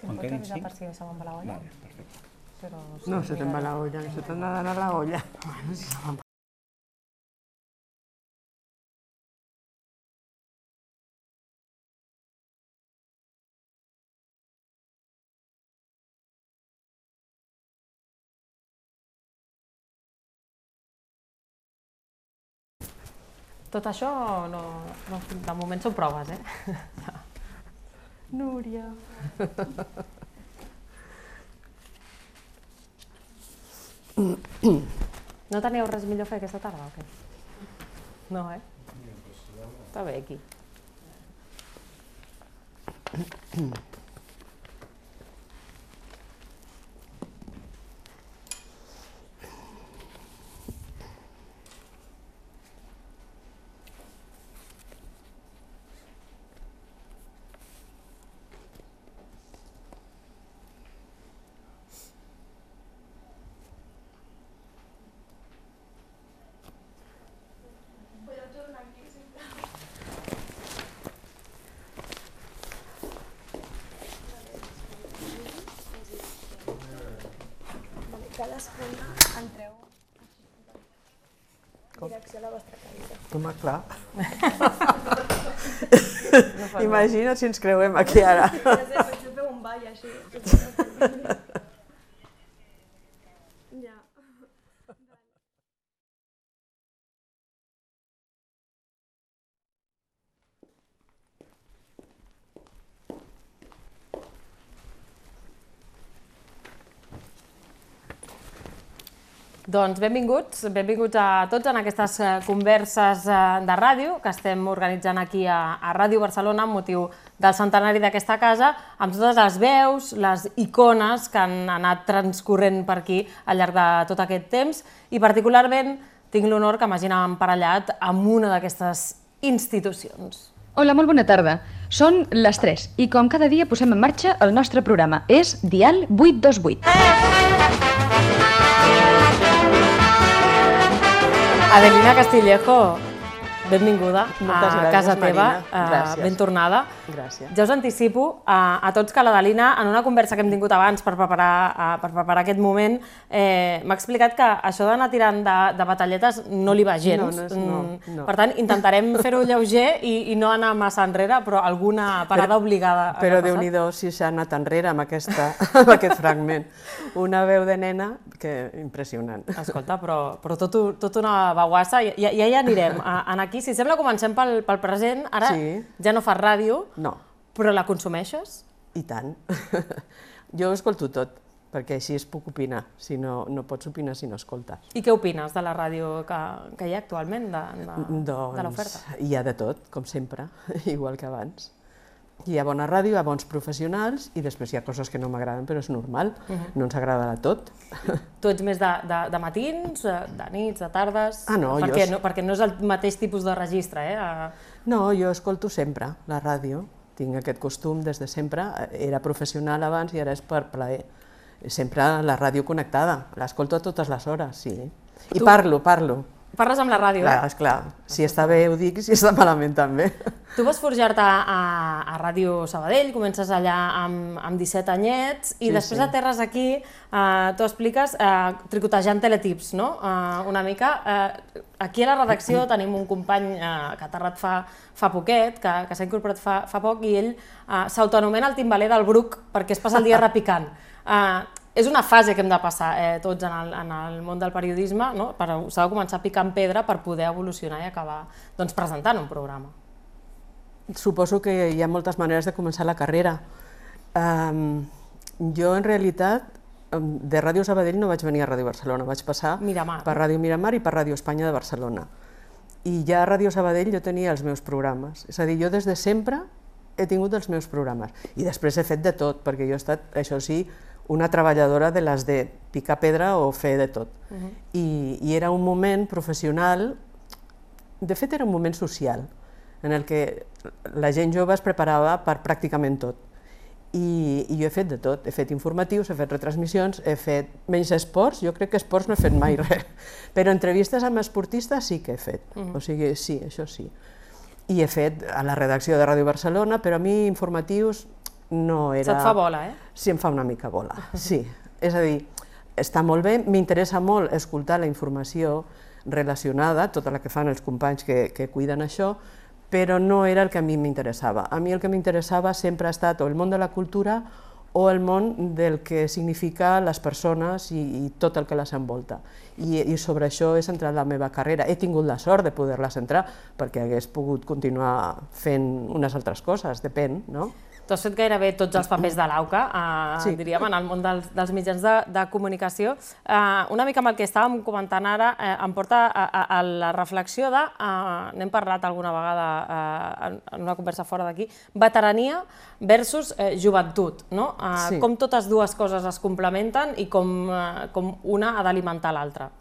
Em pots avisar per si se me'n va la olla? Vale, perfecte. No se te'n va la olla, que se te'n ha d'anar la olla. Tot això, de moment són proves, Núria. No teníeu res millor a fer aquesta tarda o què? No, Està bé aquí. Cadascuna entreu en direcció a la vostra cadira. Home, clar. Imagina't si ens creuem aquí ara. Potser feu un ball així. Ja. Doncs benvinguts a tots en aquestes converses de ràdio que estem organitzant aquí a Ràdio Barcelona amb motiu del centenari d'aquesta casa, amb totes les veus, les icones que han anat transcorrent per aquí al llarg de tot aquest temps i particularment tinc l'honor que m'hagin emparellat amb una d'aquestes institucions. Hola, molt bona tarda. Són les 3 i com cada dia posem en marxa el nostre programa. És Dial 828. Adelina Castillejo, benvinguda Moltes a gràcies, casa teva, Marina. Gràcies. ben tornada. Gràcies. Ja us anticipo a tots que l'Adelina, en una conversa que hem tingut abans per preparar aquest moment, m'ha explicat que això d'anar tirant de batalletes no li va gens. No. Per tant, intentarem fer-ho lleuger i no anar massa enrere, però alguna parada obligada. Però Déu-n'hi-do si s'ha anat enrere amb aquest fragment. Una veu de nena que impressionant. Escolta, però tot una baguassa, ja hi anirem. Aquí, si sembla, comencem pel present. Ara ja no fas ràdio, però la consumeixes? I tant. Jo escolto tot, perquè així es puc opinar. Si no pots opinar si no escoltes. I què opines de la ràdio que hi ha actualment, de l'oferta? Doncs hi ha de tot, com sempre, igual que abans. Hi ha bona ràdio, hi ha bons professionals i després hi ha coses que no m'agraden, però és normal, no ens agrada de tot. Tu ets més de matins, de nits, de tardes? Ah, no, perquè no és el mateix tipus de registre, No, jo escolto sempre la ràdio, tinc aquest costum des de sempre, era professional abans i ara és per plaer. Sempre la ràdio connectada, l'escolto a totes les hores, sí. I parlo. Parles amb la ràdio, Esclar, si està bé ho dic, si està malament també. Tu vas forjar-te a Ràdio Sabadell, comences allà amb 17 anyets i després aterres aquí, tu expliques, tricotejant teletips, no? Una mica. Aquí a la redacció tenim un company que ha aterrat fa poquet, que s'ha incorporat fa poc i ell s'autoanomena el timbaler del Bruc perquè es passa el dia repicant. És una fase que hem de passar tots en el món del periodisme, s'ha de començar a picar en pedra per poder evolucionar i acabar presentant un programa. Suposo que hi ha moltes maneres de començar la carrera. Jo, en realitat, de Ràdio Sabadell no vaig venir a Ràdio Barcelona, vaig passar per Ràdio Miramar i per Ràdio Espanya de Barcelona. I ja a Ràdio Sabadell jo tenia els meus programes, és a dir, jo des de sempre he tingut els meus programes. I després he fet de tot, perquè jo he estat, això sí, una treballadora de les de picar pedra o fer de tot. I era un moment professional, de fet era un moment social, en el que la gent jove es preparava per pràcticament tot. I jo he fet de tot, he fet informatius, he fet retransmissions, he fet menys esports, jo crec que esports no he fet mai res, però entrevistes amb esportistes sí que he fet, o sigui, sí, això sí. I he fet a la redacció de Ràdio Barcelona, però a mi informatius no era... Se't fa bola, eh? Sí, em fa una mica bola, sí. És a dir, està molt bé, m'interessa molt escoltar la informació relacionada, tota la que fan els companys que cuiden això, però no era el que a mi m'interessava. A mi el que m'interessava sempre ha estat o el món de la cultura o el món del que significa les persones i tot el que les envolta. I sobre això he centrat la meva carrera. He tingut la sort de poder-la centrar perquè hagués pogut continuar fent unes altres coses, depèn, no? Tu has fet gairebé tots els papers de l'AUCA, diríem, en el món dels mitjans de comunicació. Una mica amb el que estàvem comentant ara, em porta a la reflexió de, n'hem parlat alguna vegada en una conversa fora d'aquí, veterania versus joventut, no? Com totes dues coses es complementen i com una ha d'alimentar l'altra.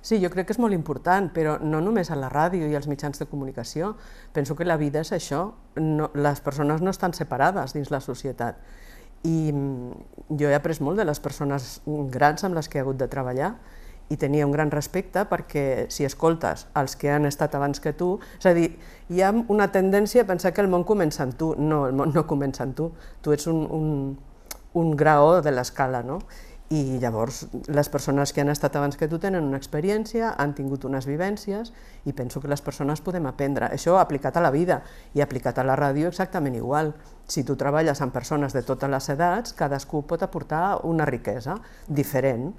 Sí, jo crec que és molt important, però no només a la ràdio i als mitjans de comunicació. Penso que la vida és això, les persones no estan separades dins la societat. I jo he après molt de les persones grans amb les que he hagut de treballar i tenia un gran respecte perquè si escoltes els que han estat abans que tu, és a dir, hi ha una tendència a pensar que el món comença en tu. No, el món no comença en tu, tu ets un graó de l'escala, no? I llavors les persones que han estat abans que tu tenen una experiència, han tingut unes vivències i penso que les persones podem aprendre. Això aplicat a la vida i aplicat a la ràdio exactament igual. Si tu treballes amb persones de totes les edats, cadascú pot aportar una riquesa diferent.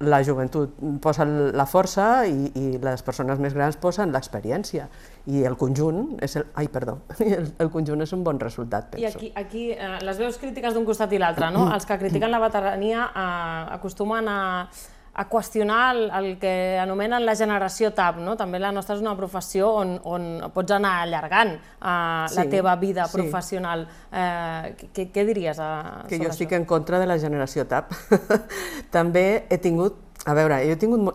La joventut posa la força i les persones més grans posen l'experiència. I el conjunt és el conjunt és un bon resultat, penso. I aquí les veus crítiques d'un costat i l'altre, no? Els que critiquen la veterania acostumen a qüestionar el que anomenen la generació TAP, no? També la nostra és una professió on pots anar allargant la teva vida professional. Què diries sobre això? Que jo estic en contra de la generació TAP. També he tingut, a veure,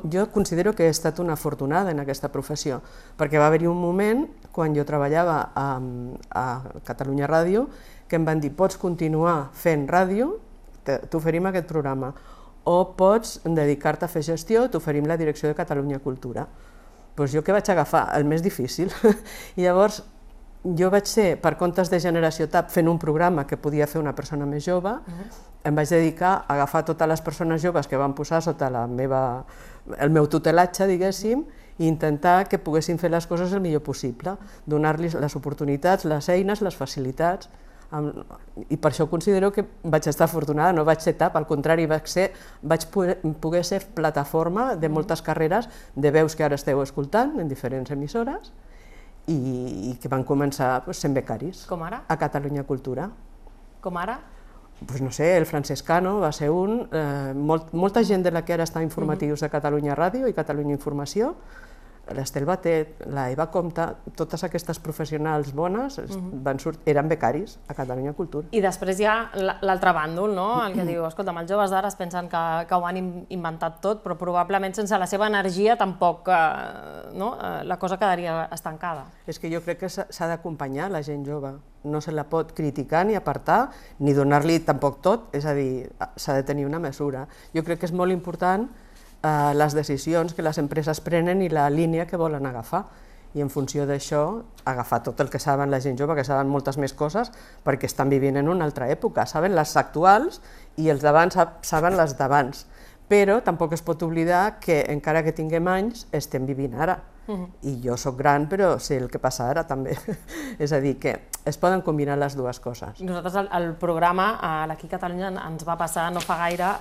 jo considero que he estat una afortunada en aquesta professió, perquè va haver-hi un moment, quan jo treballava a Catalunya Ràdio, que em van dir, pots continuar fent ràdio, t'oferim aquest programa, o pots dedicar-te a fer gestió, t'oferim la direcció de Catalunya Cultura. Doncs jo què vaig agafar? El més difícil. I llavors jo vaig ser, per comptes de Generació TAP, fent un programa que podia fer una persona més jove, em vaig dedicar a agafar totes les persones joves que van posar sota el meu tutelatge, diguéssim, i intentar que poguessin fer les coses el millor possible, donar-los les oportunitats, les eines, les facilitats. I per això considero que vaig estar afortunada, no vaig ser TAP, al contrari, vaig poder ser plataforma de moltes carreres de veus que ara esteu escoltant en diferents emissores i que van començar sent becaris. Com ara? A Catalunya Cultura. Com ara? Doncs no sé, el Francescano va ser un, molta gent de la que ara està informatius de Catalunya Ràdio i Catalunya Informació, l'Estel Batet, la Eva Comte, totes aquestes professionals bones eren becaris a Catalunya Cultura. I després hi ha l'altre bàndol, no? El que diu, escolta, els joves d'ara es pensen que ho han inventat tot, però probablement sense la seva energia tampoc la cosa quedaria estancada. És que jo crec que s'ha d'acompanyar la gent jove, no se la pot criticar ni apartar, ni donar-li tampoc tot, és a dir, s'ha de tenir una mesura. Jo crec que és molt important les decisions que les empreses prenen i la línia que volen agafar. I en funció d'això, agafar tot el que saben la gent jove, que saben moltes més coses, perquè estan vivint en una altra època. Saben les actuals i els d'abans saben les d'abans. Però tampoc es pot oblidar que, encara que tinguem anys, estem vivint ara. I jo soc gran, però sé el que passa ara també. És a dir, que es poden combinar les dues coses. Nosaltres, el programa, l'Aquí Catalunya, ens va passar no fa gaire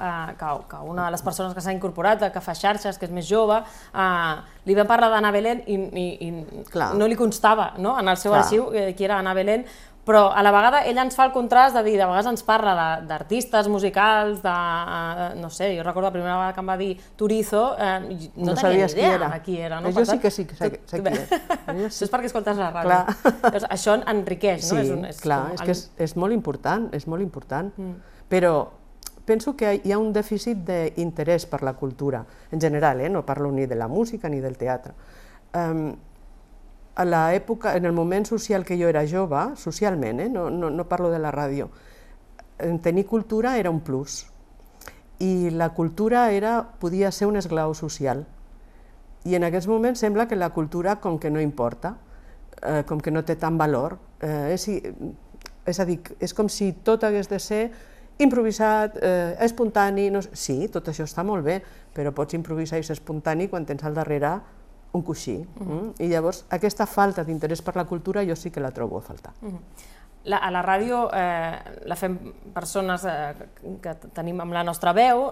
que una de les persones que s'ha incorporat, que fa xarxes, que és més jove, li vam parlar d'Anna Belén i no li constava en el seu arxiu qui era Anna Belén, però a la vegada ella ens fa el contrast de dir, de vegades ens parla d'artistes musicals, no sé, jo recordo la primera vegada que em va dir Turizo, no tenia ni idea de qui era. Jo sí que sé qui és. Això és perquè escoltes la ràdio. Això enriqueix, no? Sí, clar, és que és molt important, és molt important. Però penso que hi ha un dèficit d'interès per la cultura, en general, no parlo ni de la música ni del teatre. A l'època, en el moment social que jo era jove, socialment, no parlo de la ràdio, tenir cultura era un plus. I la cultura podia ser un esglau social. I en aquests moments sembla que la cultura, com que no importa, com que no té tant valor, És a dir, és com si tot hagués de ser improvisat, espontani... Sí, tot això està molt bé, però pots improvisar i ser espontani quan tens al darrere un coixí. I llavors aquesta falta d'interès per la cultura jo sí que la trobo a faltar. A la ràdio la fem persones que tenim amb la nostra veu,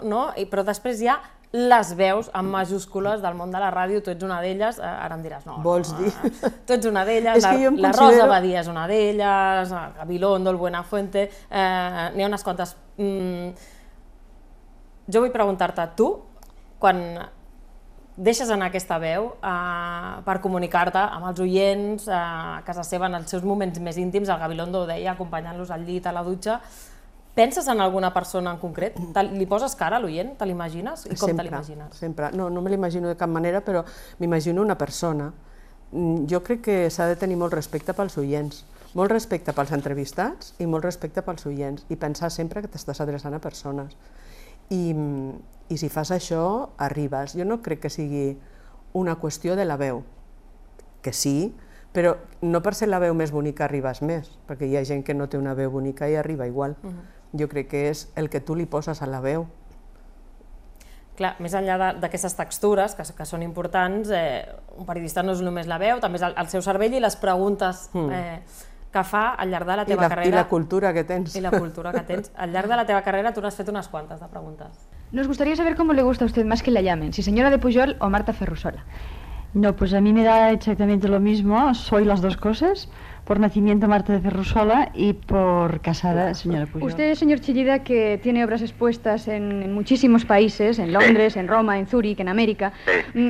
però després hi ha les veus amb majúscules del mon de la ràdio, tu ets una d'elles, ara em diràs, no, vols dir? Tu ets una d'elles, la Rosa Badia és una d'elles, Gabilondo, el Buenafuente, n'hi ha unes quantes. Jo vull preguntar-te, tu, quan deixes anar aquesta veu per comunicar-te amb els oients, a casa seva, en els seus moments més íntims, el Gabilondo ho deia, acompanyant-los al llit, a la dutxa, penses en alguna persona en concret? Li poses cara a l'oient? Te l'imagines? I com te l'imagines? Sempre. No me l'imagino de cap manera, però m'imagino una persona. Jo crec que s'ha de tenir molt respecte pels oients, molt respecte pels entrevistats i molt respecte pels oients, i pensar sempre que t'estàs adreçant a persones. I si fas això, arribes. Jo no crec que sigui una qüestió de la veu, que sí, però no per ser la veu més bonica arribes més, perquè hi ha gent que no té una veu bonica i arriba igual. Jo crec que és el que tu li poses a la veu. Clar, més enllà d'aquestes textures, que són importants, un periodista no és només la veu, també és el seu cervell i les preguntes que fa al llarg de la teva carrera. I la cultura que tens. I la cultura que tens. Al llarg de la teva carrera tu n'has fet unes quantes de preguntes. Nos gustaría saber cómo le gusta a usted más que la llamen, si señora de Pujol o Marta Ferrusola. No, pues a mí me da exactamente lo mismo, soy las dos cosas, por nacimiento Marta de Ferrusola y por casada señora Pujol. Usted, señor Chillida, que tiene obras expuestas en muchísimos países, en Londres, en Roma, en Zúrich, en América,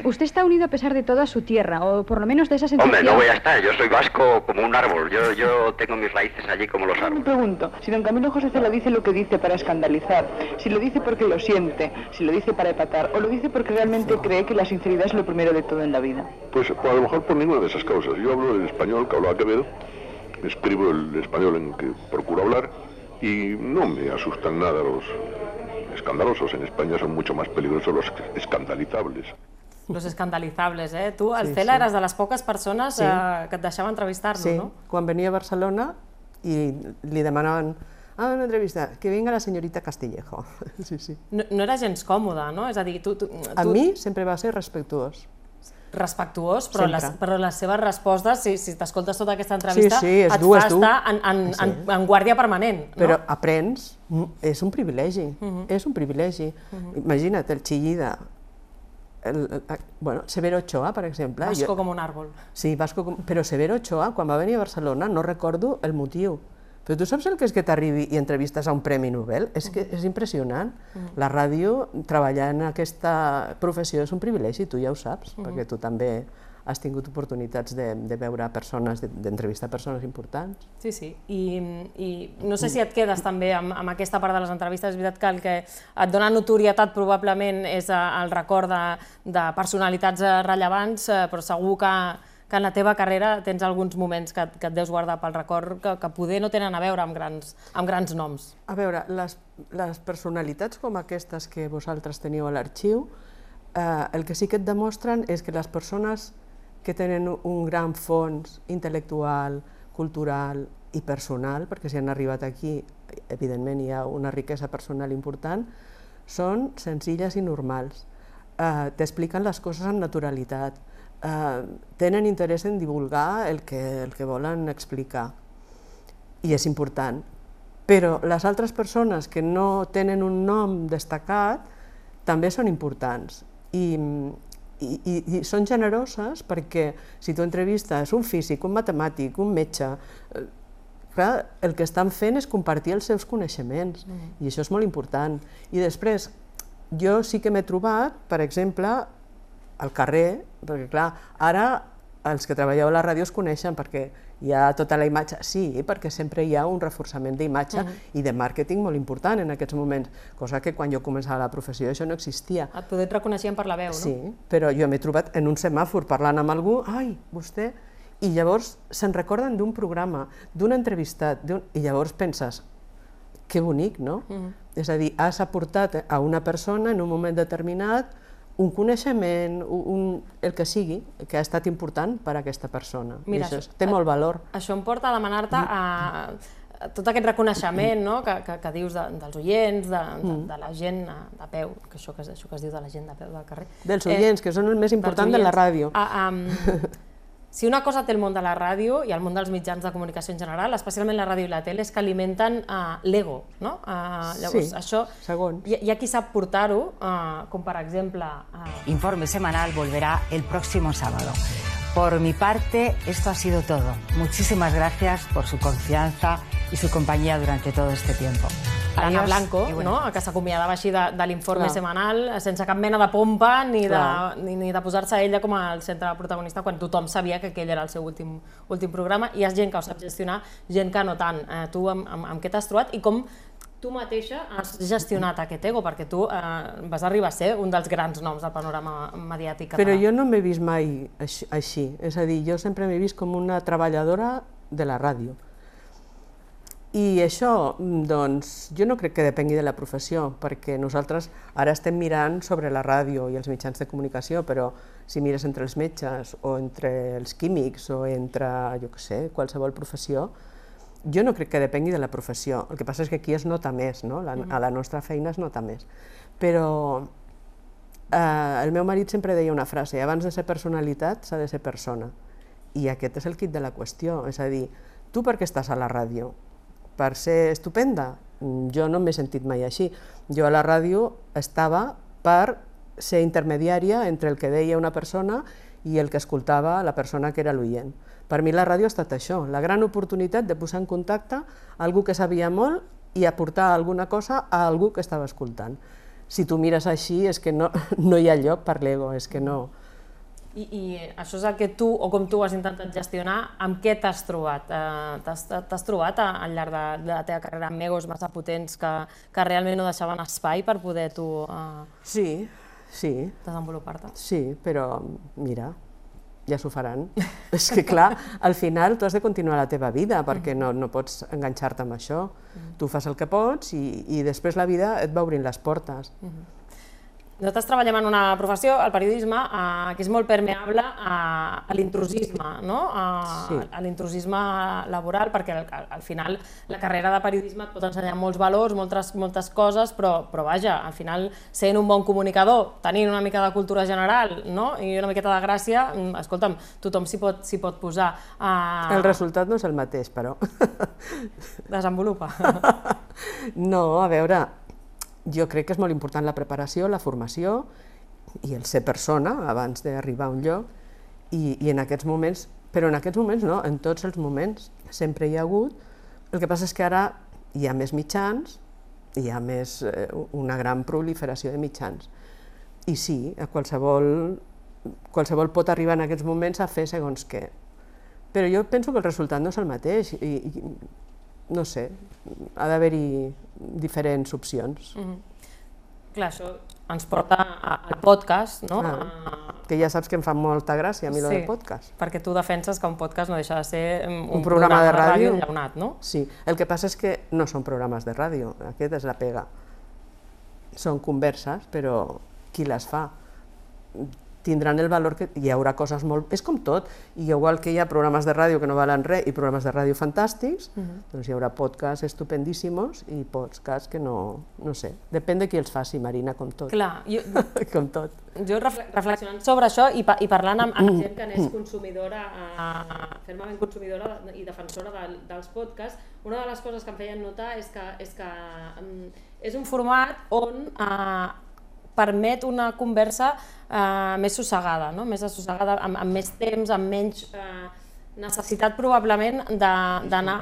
usted está unido a pesar de todo a su tierra, o por lo menos de esa sensación... Hombre, no voy a estar, yo soy vasco como un árbol, yo tengo mis raíces allí como los árboles. Me pregunto, si don Camilo José Cela dice lo que dice para escandalizar, si lo dice porque lo siente, si lo dice para empatar, o lo dice porque realmente cree que la sinceridad es lo primero de todo en la vida. Pues a lo mejor por ninguna de esas causas. Yo hablo el español que hablaba Quevedo, escribo el español en que procuro hablar y no me asustan nada los escandalosos. En España son mucho más peligrosos los escandalizables. Los escandalizables, eh? Tu, el Cela, eres de les poques persones que et deixava entrevistar-lo, no? Sí, quan venia a Barcelona i li demanaven una entrevista, que venga la señorita Castillejo. No era gens còmode, no? És a dir, tu... A mi sempre va ser respectuós. Respectuós, però les seves respostes, si t'escoltes tota aquesta entrevista, et fa estar en guàrdia permanent. Però aprens, és un privilegi, és un privilegi. Imagina't, el Chillida, Severo Ochoa, per exemple. Vasco com un àrbol. Sí, però Severo Ochoa, quan va venir a Barcelona, no recordo el motiu. Però tu saps el que és que t'arribi i entrevistes a un Premi Nobel? És que és impressionant. La ràdio, treballar en aquesta professió és un privilegi, tu ja ho saps, perquè tu també has tingut oportunitats de veure persones, d'entrevistar persones importants. Sí, i no sé si et quedes també amb aquesta part de les entrevistes. És veritat que el que et dona notorietat probablement és el record de personalitats rellevants, però segur que en la teva carrera tens alguns moments que et deus guardar pel record que poder no tenen a veure amb grans noms. A veure, les personalitats com aquestes que vosaltres teniu a l'arxiu, el que sí que et demostren és que les persones que tenen un gran fons intel·lectual, cultural i personal, perquè si han arribat aquí, evidentment hi ha una riquesa personal important, són senzilles i normals. T'expliquen les coses amb naturalitat, tenen interès en divulgar el que volen explicar, i és important. Però les altres persones que no tenen un nom destacat també són importants i són generoses, perquè si tu entrevistes un físic, un matemàtic, un metge, el que estan fent és compartir els seus coneixements i això és molt important. I després, jo sí que m'he trobat, per exemple, al carrer, perquè clar, ara els que treballeu a la ràdio es coneixen perquè hi ha tota la imatge, sí, perquè sempre hi ha un reforçament d'imatge i de màrqueting molt important en aquests moments, cosa que quan jo començava la professió això no existia. Poder et reconeixien per la veu, no? Sí, però jo m'he trobat en un semàfor parlant amb algú, ai, vostè, i llavors se'n recorden d'un programa, d'un entrevistat, i llavors penses, que bonic, no? És a dir, has aportat a una persona en un moment determinat un coneixement, el que sigui, que ha estat important per a aquesta persona. Té molt valor. Això em porta a demanar-te tot aquest reconeixement que dius dels oients, de la gent de peu, que això que es diu de la gent de peu del carrer. Dels oients, que són el més important de la ràdio. Si una cosa té el món de la ràdio i el món dels mitjans de comunicació en general, especialment la ràdio i la tele, és que alimenten l'ego, no? Llavors, això, hi ha qui sap portar-ho, com per exemple... Informe semanal volverá el próximo sábado. Por mi parte, esto ha sido todo. Muchísimas gracias por su confianza y su compañía durante todo este tiempo. L'Anna Blanco, que s'acomiadava així de l'informe setmanal, sense cap mena de pompa ni de posar-se ella com al centre protagonista, quan tothom sabia que aquell era el seu últim programa. Hi ha gent que ho sap gestionar, gent que no tant. Tu amb què t'has trobat i com tu mateixa has gestionat aquest ego? Perquè tu vas arribar a ser un dels grans noms del panorama mediàtic català. Però jo no m'he vist mai així. És a dir, jo sempre m'he vist com una treballadora de la ràdio. I això, doncs, jo no crec que depengui de la professió, perquè nosaltres ara estem mirant sobre la ràdio i els mitjans de comunicació, però si mires entre els metges o entre els químics o entre, jo què sé, qualsevol professió, jo no crec que depengui de la professió. El que passa és que aquí es nota més, no? A la nostra feina es nota més. Però el meu marit sempre deia una frase: abans de ser personalitat s'ha de ser persona. I aquest és el quid de la qüestió, és a dir, tu per què estàs a la ràdio? Per ser estupenda? Jo no m'he sentit mai així. Jo a la ràdio estava per ser intermediària entre el que deia una persona i el que escoltava la persona que era l'oient. Per mi la ràdio ha estat això, la gran oportunitat de posar en contacte algú que sabia molt i aportar alguna cosa a algú que estava escoltant. Si tu mires així és que no hi ha lloc per l'ego, és que no... I això és el que tu, o com tu has intentat gestionar, amb què t'has trobat? T'has trobat al llarg de la teva carrera amb egos massa potents que realment no deixaven espai per poder tu desenvolupar-te? Sí, però mira, ja s'ho faran. És que clar, al final tu has de continuar la teva vida perquè no pots enganxar-te amb això. Tu fas el que pots i després la vida et va obrint les portes. Nosaltres treballem en una professió, el periodisme, que és molt permeable a l'intrusisme, a l'intrusisme laboral, perquè al final la carrera de periodisme et pot ensenyar molts valors, moltes coses, però vaja, al final sent un bon comunicador, tenint una mica de cultura general i una miqueta de gràcia, escolta'm, tothom s'hi pot posar. El resultat no és el mateix, però... Desenvolupa. No, a veure... Jo crec que és molt important la preparació, la formació i el ser persona abans d'arribar a un lloc i en aquests moments, però en aquests moments no, en tots els moments sempre hi ha hagut. El que passa és que ara hi ha més mitjans, hi ha una gran proliferació de mitjans i sí, qualsevol pot arribar en aquests moments a fer segons què. Però jo penso que el resultat no és el mateix i no sé, ha d'haver-hi diferents opcions. Clar, això ens porta al podcast, no? Que ja saps que em fa molta gràcia a mi del podcast. Perquè tu defenses que un podcast no deixa de ser un programa de ràdio enllaunat, no? Sí, el que passa és que no són programes de ràdio, aquest és la pega. Són converses, però qui les fa? Tindran el valor que hi haurà coses molt... És com tot, i igual que hi ha programes de ràdio que no valen res i programes de ràdio fantàstics, doncs hi haurà podcasts estupendíssimos i podcasts que no sé, depèn de qui els faci, Marina, com tot. Clar, com tot. Jo reflexionant sobre això i parlant amb gent que n'és consumidora, fermament consumidora i defensora dels podcasts, una de les coses que em feien notar és que és un format on permet una conversa més sossegada, més assossegada, amb més temps, amb menys necessitat probablement d'anar...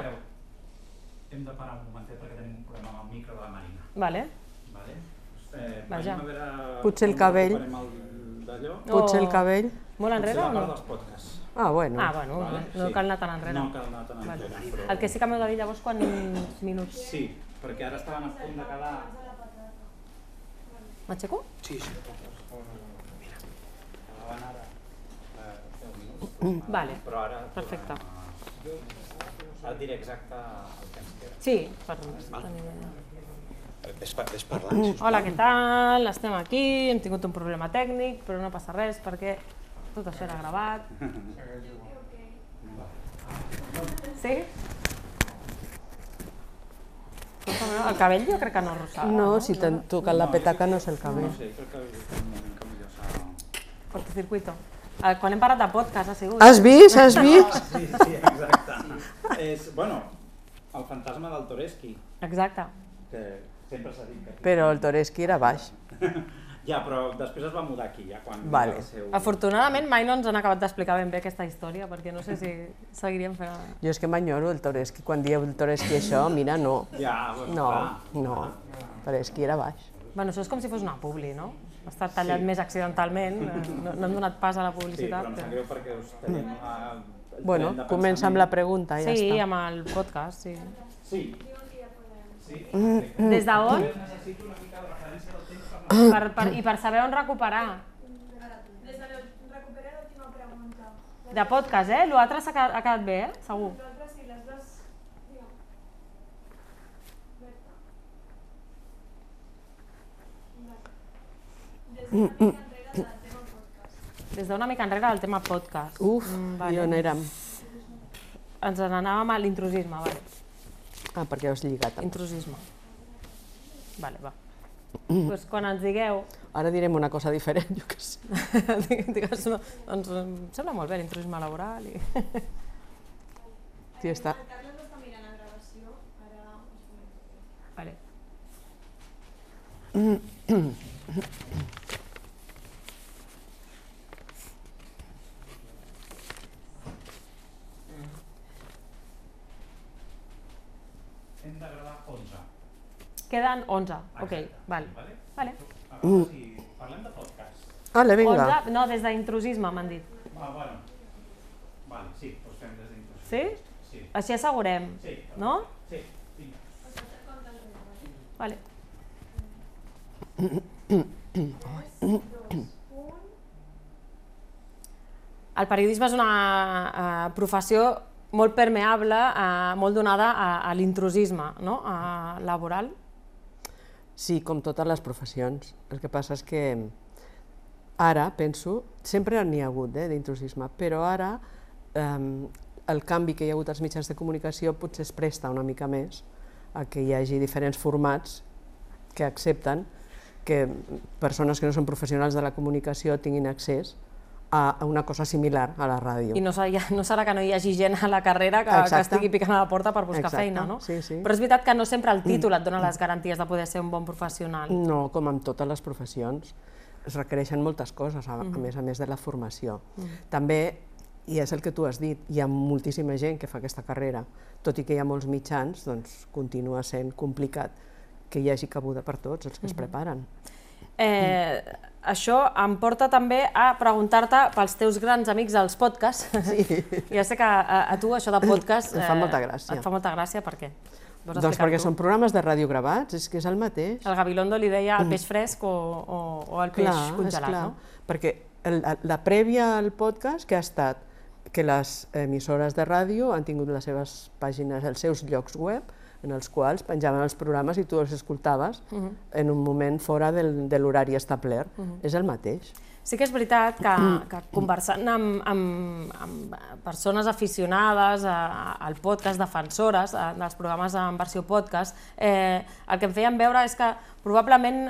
Hem de parar un momentet perquè tenim un problema amb el micro de la Marina. Vale. Vaja. Potser el cabell. Potser el cabell. Molt enrere o no? Potser la part dels podcasts. Ah, bueno. No cal anar tan enrere. No cal anar tan enrere. El que sí que m'heu de dir llavors quants minuts... Sí, perquè ara estaven a punt de quedar... M'aixeco? Sí. Mira, acabaven ara 10 minuts. Vale, perfecte. Ara et diré exacte el temps que era. Sí, per tenir idea. Ves parlant, sisplau. Hola, què tal? Estem aquí, hem tingut un problema tècnic, però no passa res perquè tot això era gravat. Sí? El cabell jo crec que no rossava. No, si t'han tocat la petaca no és el cabell. No sé, crec que és un moment que millor s'ha... Cortocircuito. Quan hem parlat de podcast ha sigut. Has vist? Has vist? Sí, exacte. És, bueno, el fantasma del Toreski. Exacte. Que sempre s'ha dit que... Però el Toreski era baix. Ja, però després es va mudar aquí, ja quan... Vale. Afortunadament mai no ens han acabat d'explicar ben bé aquesta història, perquè no sé si seguiríem fent... Jo és que m'enyoro el Toreski. Quan dieu el Toreski això, mira, no. Ja, No, Toreski era baix. Bueno, això és com si fos una publi, no? Ha estat tallat més accidentalment, no hem donat pas a la publicitat. Sí, però em sap greu perquè us tenim el Bueno, tren de comença amb la pregunta, ja està. Sí, amb el podcast, sí. Sí. Des d'on? Necessito una mica de referència del temps I per saber on recuperar. Des de recuperar l'última pregunta. De podcast, L'altre ha quedat bé, segur. L'altre sí, les dues... Des d'una mica enrere del tema podcast. Uf, i on érem? Ens n'anàvem a l'intrusisme, vale. Ah, perquè ho has lligat. Intrusisme. Vale, va. Doncs quan ens digueu... Ara direm una cosa diferent, jo què sé. Digues, no, doncs em sembla molt bé l'intrusisme laboral i... Sí, està. El Carles està mirant la gravació, ara us comento. Vale. Hem de gravar 11. Queden 11, ok, vale. Vale. Si parlem de podcast. Vale, vinga. 11, no, des d'intrusisme m'han dit. Ah, bueno. Vale, sí, doncs fem des d'intrusisme. Sí? Sí. Així assegurem, Sí. no? Sí, vinga. Vale. El periodisme és una professió molt permeable, molt donada a l'intrusisme, no? Laboral. Sí, com totes les professions. El que passa és que ara, penso, sempre n'hi ha hagut d'intrusisme, però ara el canvi que hi ha hagut als mitjans de comunicació potser es presta una mica més a que hi hagi diferents formats que accepten que persones que no són professionals de la comunicació tinguin accés a una cosa similar a la ràdio. I no serà que no hi hagi gent a la carrera que estigui picant a la porta per buscar feina, no? Sí, sí. Però és veritat que no sempre el títol et dona les garanties de poder ser un bon professional. No, com en totes les professions. Es requereixen moltes coses, a més de la formació. També, i és el que tu has dit, hi ha moltíssima gent que fa aquesta carrera. Tot i que hi ha molts mitjans, doncs continua sent complicat que hi hagi cabuda per tots els que es preparen. Això em porta també a preguntar-te pels teus grans amics dels podcasts. Ja sé que a tu això de podcast... Et fa molta gràcia. Et fa molta gràcia, per què? Doncs perquè són programes de ràdio gravats, és que és el mateix. El Gabilondo li deia el peix fresc o el peix congelat, no? Perquè la prèvia al podcast que ha estat que les emissores de ràdio han tingut les seves pàgines, els seus llocs web, en els quals penjaven els programes i tu els escoltaves en un moment fora de l'horari establert. És el mateix. Sí que és veritat que conversant amb persones aficionades al podcast, defensores dels programes en versió podcast, el que em feien veure és que probablement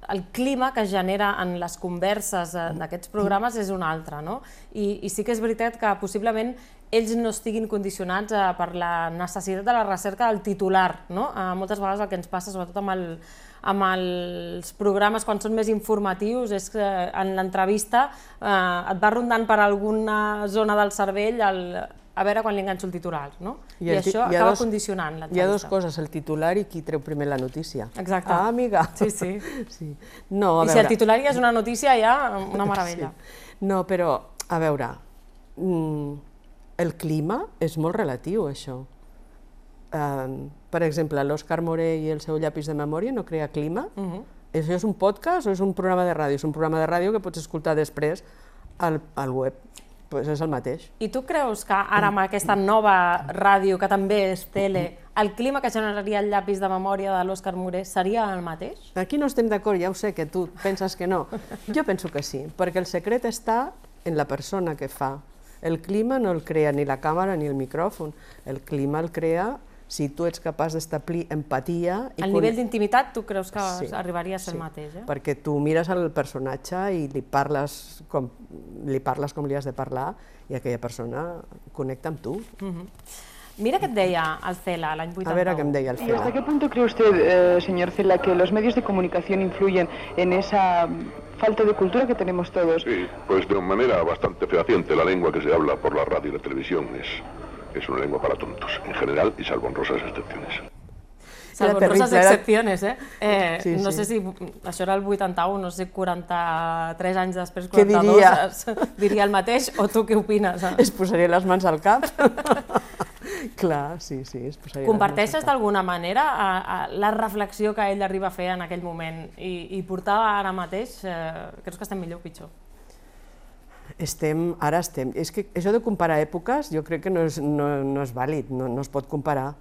el clima que es genera en les converses d'aquests programes és un altre, no? I sí que és veritat que possiblement ells no estiguin condicionats per la necessitat de la recerca del titular, no? Moltes vegades el que ens passa, sobretot amb els programes quan són més informatius, és que en l'entrevista et va rondant per alguna zona del cervell a veure quan li enganxo el titular, no? I això acaba condicionant l'entrevista. Hi ha dues coses, el titular i qui treu primer la notícia. Exacte. Ah, amiga. Sí, sí. I si el titular ja és una notícia, ja una meravella. No, però, a veure, el clima és molt relatiu, això. Per exemple, l'Òscar Moré i el seu llapis de memòria no crea clima. Això és un podcast o és un programa de ràdio? És un programa de ràdio que pots escoltar després al web. Doncs és el mateix. I tu creus que ara amb aquesta nova ràdio, que també és tele, el clima que generaria el llapis de memòria de l'Òscar Moré seria el mateix? Aquí no estem d'acord, ja ho sé, que tu penses que no. Jo penso que sí, perquè el secret està en la persona que fa. El clima no el crea ni la càmera ni el micròfon. El clima el crea si tu ets capaç d'establir empatia... El nivell d'intimitat tu creus que arribaria a ser el mateix, perquè tu mires el personatge i li parles com li has de parlar i aquella persona connecta amb tu. Mira què et deia el Cela l'any 81. A veure què em deia el Cela. ¿Y hasta qué punto cree usted, señor Cela, que los medios de comunicación influyen en esa falta de cultura que tenemos todos? Sí, pues de manera bastante fehaciente. La lengua que se habla por la radio y la televisión es una lengua para tontos, en general, y salvo honrosas excepciones. Salvo honrosas excepciones, No sé si això era el 81, no sé, 43 anys després, 42, diria el mateix, o tu què opines? Es posaria les mans al cap. Clar, sí, es posaria... Comparteixes d'alguna manera la reflexió que ell arriba a fer en aquell moment i portar ara mateix? Creus que estem millor o pitjor? Ara estem. És que això de comparar èpoques jo crec que no és vàlid, no es pot comparar.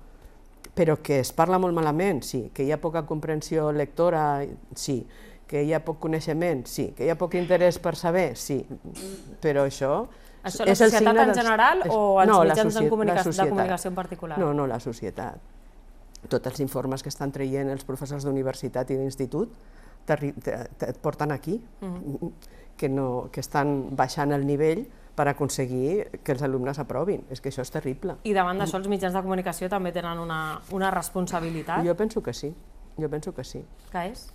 Però que es parla molt malament, sí. Que hi ha poca comprensió lectora, sí. Que hi ha poc coneixement, sí. Que hi ha poc interès per saber, sí. Però això... Això la societat en general o els mitjans de comunicació en particular? No, la societat. Tots els informes que estan traient els professors d'universitat i d'institut et porten aquí, que estan baixant el nivell per aconseguir que els alumnes aprovin. És que això és terrible. I davant d'això els mitjans de comunicació també tenen una responsabilitat? Jo penso que sí. Què és?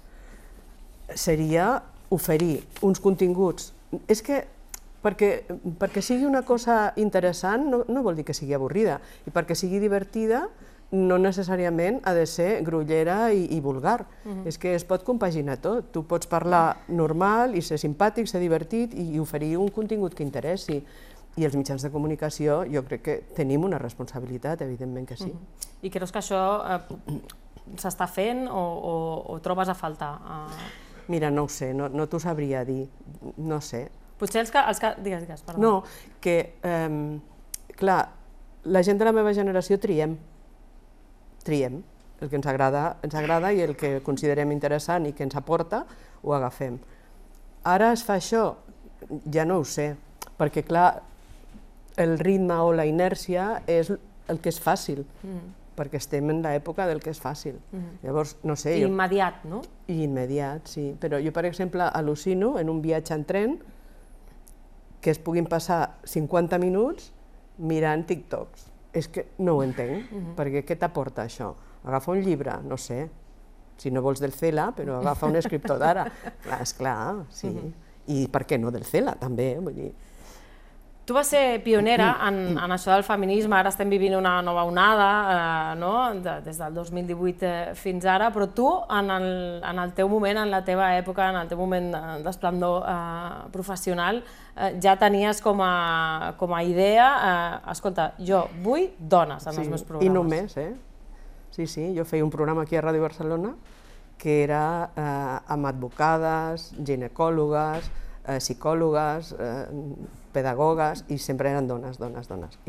Seria oferir uns continguts. És que perquè sigui una cosa interessant no vol dir que sigui avorrida, i perquè sigui divertida no necessàriament ha de ser grollera i vulgar. És que es pot compaginar tot. Tu pots parlar normal i ser simpàtic, ser divertit i oferir un contingut que interessi. I els mitjans de comunicació jo crec que tenim una responsabilitat, evidentment que sí. I creus que això s'està fent o trobes a faltar? Mira, no ho sé, no t'ho sabria dir, no sé. Potser els que... Digues, perdó. No, que, clar, la gent de la meva generació triem el que ens agrada i el que considerem interessant i que ens aporta, ho agafem. Ara es fa això? Ja no ho sé, perquè clar, el ritme o la inèrcia és el que és fàcil, perquè estem en l'època del que és fàcil. Llavors, no sé... I immediat, no? I immediat, sí. Però jo, per exemple, al·lucino en un viatge en tren que es puguin passar 50 minuts mirant TikToks. És que no ho entenc, perquè què t'aporta això? Agafa un llibre, no sé, si no vols del Cela, però agafa un escriptor d'ara. Esclar, sí. I per què no del Cela, també, vull dir... Tu vas ser pionera en això del feminisme, ara estem vivint una nova onada, des del 2018 fins ara, però tu, en el teu moment, en la teva època, en el teu moment d'esplendor professional, ja tenies com a idea, escolta, jo vull dones en els meus programes. I només, Sí, jo feia un programa aquí a Ràdio Barcelona que era amb advocades, ginecòlogues, psicòlogues, pedagogues, i sempre eren dones.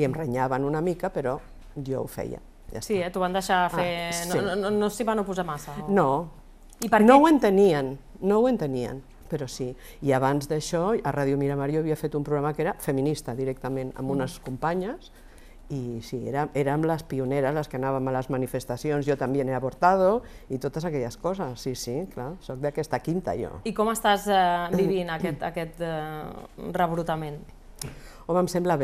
I em renyaven una mica, però jo ho feia. Sí, t'ho van deixar fer... No s'hi van oposar massa? No, no ho entenien, però sí. I abans d'això, a Ràdio Miramar jo havia fet un programa que era feminista directament, amb unes companyes, i sí, érem les pioneres, les que anàvem a les manifestacions, jo també he avortado, i totes aquelles coses, sí, clar, soc d'aquesta quinta jo. I com estàs vivint aquest rebrotament? Home, em sembla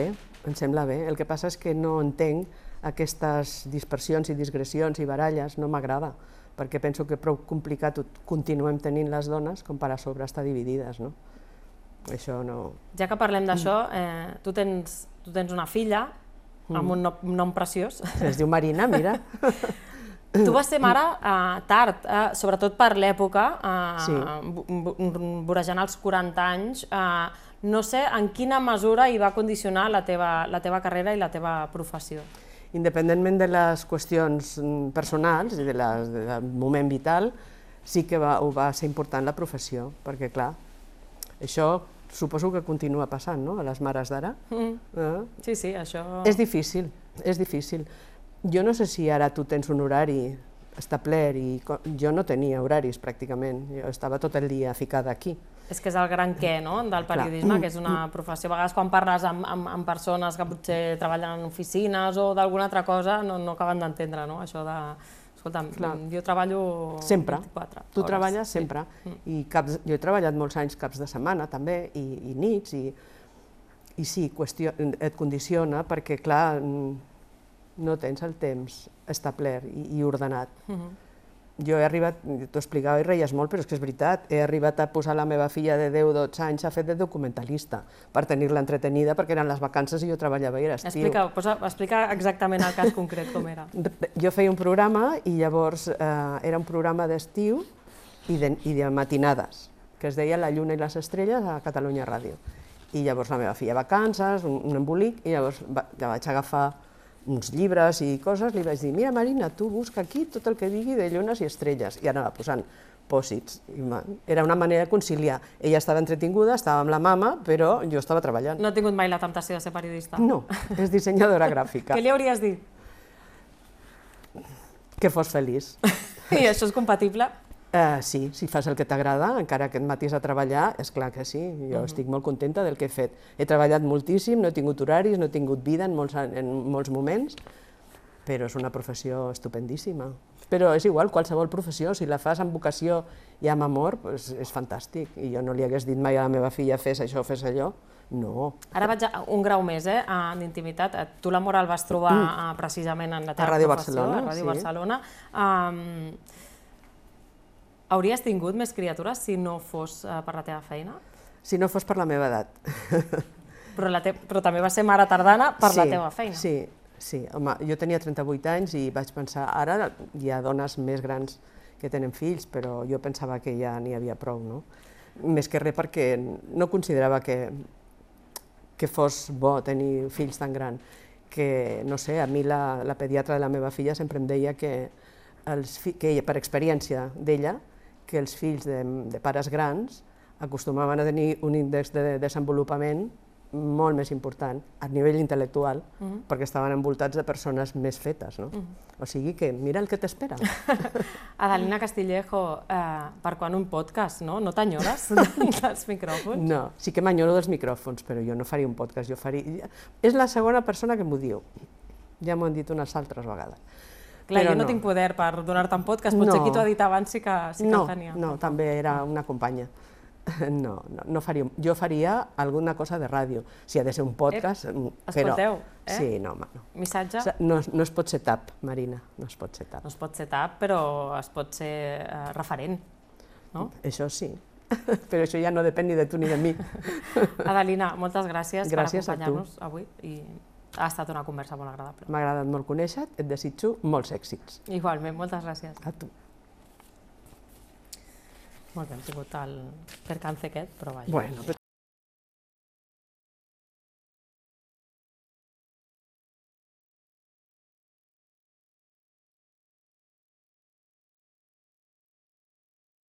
bé, el que passa és que no entenc aquestes dispersions i digressions i baralles, no m'agrada, perquè penso que prou complicat continuem tenint les dones com per a sobre estar dividides, no? Això no... Ja que parlem d'això, tu tens una filla, amb un nom preciós. Es diu Marina, mira. Tu vas ser mare tard, sobretot per l'època, vorejant els 40 anys. No sé en quina mesura hi va condicionar la teva carrera i la teva professió. Independentment de les qüestions personals i del moment vital, sí que ho va ser important la professió, perquè clar, això suposo que continua passant, no?, a les mares d'ara. Sí, això... És difícil. Jo no sé si ara tu tens un horari establert i jo no tenia horaris pràcticament, jo estava tot el dia ficada aquí. És que és el gran què, no?, del periodisme, que és una professió. A vegades quan parles amb persones que potser treballen en oficines o d'alguna altra cosa no acaben d'entendre, no?, això de... Escolta'm, jo treballo 24 hores. Tu treballes sempre. I jo he treballat molts anys caps de setmana també, i nits, i sí, et condiciona perquè, clar, no tens el temps establert i ordenat. Jo he arribat, t'ho explicava i reies molt, però és que és veritat, he arribat a posar la meva filla de 10-12 anys a fer de documentalista per tenir-la entretenida perquè eren les vacances i jo treballava i era estiu. Explica exactament el cas concret com era. Jo feia un programa i llavors era un programa d'estiu i de matinades, que es deia La lluna i les estrelles a Catalunya Ràdio. I llavors la meva filla vacances, un embolic, i llavors ja vaig agafar uns llibres i coses, li vaig dir, mira Marina, tu busca aquí tot el que digui de llunes i estrelles, i anava posant pòsits. Era una manera de conciliar. Ella estava entretinguda, estava amb la mama, però jo estava treballant. No ha tingut mai la temptació de ser periodista? No, és dissenyadora gràfica. Què li hauries dit? Que fos feliç. I això és compatible? Sí, si fas el que t'agrada, encara que et matis a treballar, és clar que sí, jo estic molt contenta del que he fet. He treballat moltíssim, no he tingut horaris, no he tingut vida en molts moments, però és una professió estupendíssima. Però és igual, qualsevol professió, si la fas amb vocació i amb amor, és fantàstic. I jo no li hagués dit mai a la meva filla, fes això, fes allò. No. Ara vaig un grau més d'intimitat. Tu la Moral vas trobar precisament en la teva professió, a Ràdio Barcelona. Hauries tingut més criatures si no fos per la teva feina? Si no fos per la meva edat. Però també va ser mare tardana per la teva feina. Sí. Home, jo tenia 38 anys i vaig pensar, ara hi ha dones més grans que tenen fills, però jo pensava que ja n'hi havia prou, no? Més que res perquè no considerava que fos bo tenir fills tan grans. Que, no sé, a mi la pediatra de la meva filla sempre em deia que ella, per experiència d'ella, que els fills de pares grans acostumaven a tenir un índex de desenvolupament molt més important a nivell intel·lectual, perquè estaven envoltats de persones més fetes, no? O sigui que mira el que t'espera. Adelina Castillejo, per quan un podcast, no? No t'enyores dels micròfons? No, sí que m'enyoro dels micròfons, però jo no faria un podcast, jo faria... És la segona persona que m'ho diu, ja m'ho han dit unes altres vegades. Clar, jo no tinc poder per donar-te un podcast, potser qui t'ho ha dit abans sí que el tenia. No, també era una companya. No faria... Jo faria alguna cosa de ràdio, si ha de ser un podcast, però... Escolteu, Sí, no, home, no. Missatge? No es pot ser tap, Marina, no es pot ser tap. No es pot ser tap, però es pot ser referent, no? Això sí, però això ja no depèn ni de tu ni de mi. Adelina, moltes gràcies per Gràcies a tu. acompanyar-nos avui i ha estat una conversa molt agradable. M'ha agradat molt conèixer-te, et desitjo molts èxits. Igualment, moltes gràcies. A tu. Molt bé, hem tingut el percance aquest, però vaja. Bueno,